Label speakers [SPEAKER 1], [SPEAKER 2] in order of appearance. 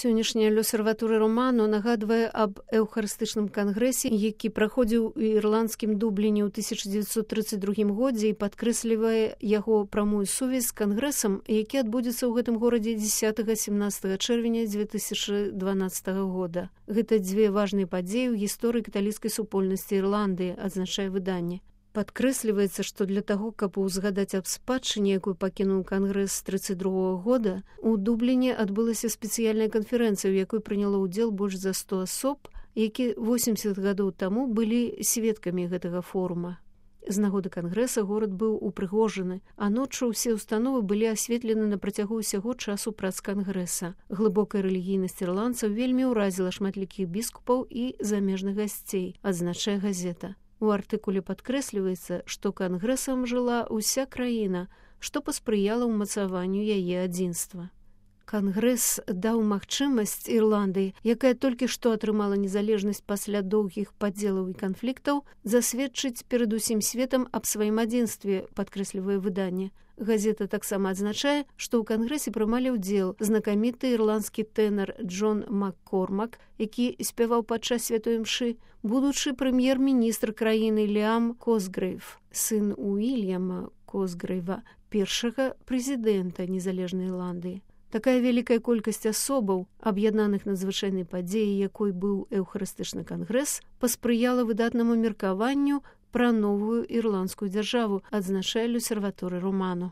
[SPEAKER 1] Сённяшняя L'Osservatore Romano нагадвае аб эўхарыстычным кангрэсе, які праходзіў у ірландскім Дубліне ў 1932 годзе і падкрэслівае яго прамую сувязь з кангрэсам, які адбудзецца ў гэтым горадзе 10-17 чэрвеня 2012 года. Гэта дзве важныя падзеі ў гісторыі каталіцкай супольнасці Ірландыі, адзначае выданне. Падкрэсліваецца, што для таго, каб узгадаць аб спадчыне, якую пакінуў кангрэс з 1932 года, у Дубліне адбылася спецыяльная канферэнцыя, у якой прыняло ўдзел больш за 100 асоб, які 80 гадоў таму былі сведкамі гэтага форума. З нагоды кангрэса горад быў упрыгожаны, а ноччу ўсе ўстановы былі асветлены на працягу ўсяго часу прац кангрэса. Глыбокая рэлігійнасць ірландцаў вельмі ўразіла шматлікіх біскупаў і замежных гасцей, адзначае газета. У артыкуле падкрэсліваецца, што кангрэсам жыла ўся краіна, што паспрыяла ўмацаванню яе адзінства. Кангрэс даў магчымасць Ірландыі, якая толькі што атрымала незалежнасць пасля доўгіх падзелаў і канфліктаў, засведчыць перад усім светам аб сваім адзінстве, падкрэслівае выданне. Газета таксама адзначае, што ў кангрэсе прымалі ўдзел знакаміты ірландскі тэнар Джон Маккормак, які спяваў падчас святой імшы, будучы прэм'ер-міністр краіны Ліам Косгрэйв, сын Уільяма Косгрэйва, першага прэзідэнта незалежнай Ірландыі. Такая вялікая колькасць асобаў, аб'яднаных надзвычайнай падзеяй, якой быў эўхарыстычны кангрэс, паспрыяла выдатнаму меркаванню пра новую ірландскую дзяржаву, адзначае L'Osservatore Romano.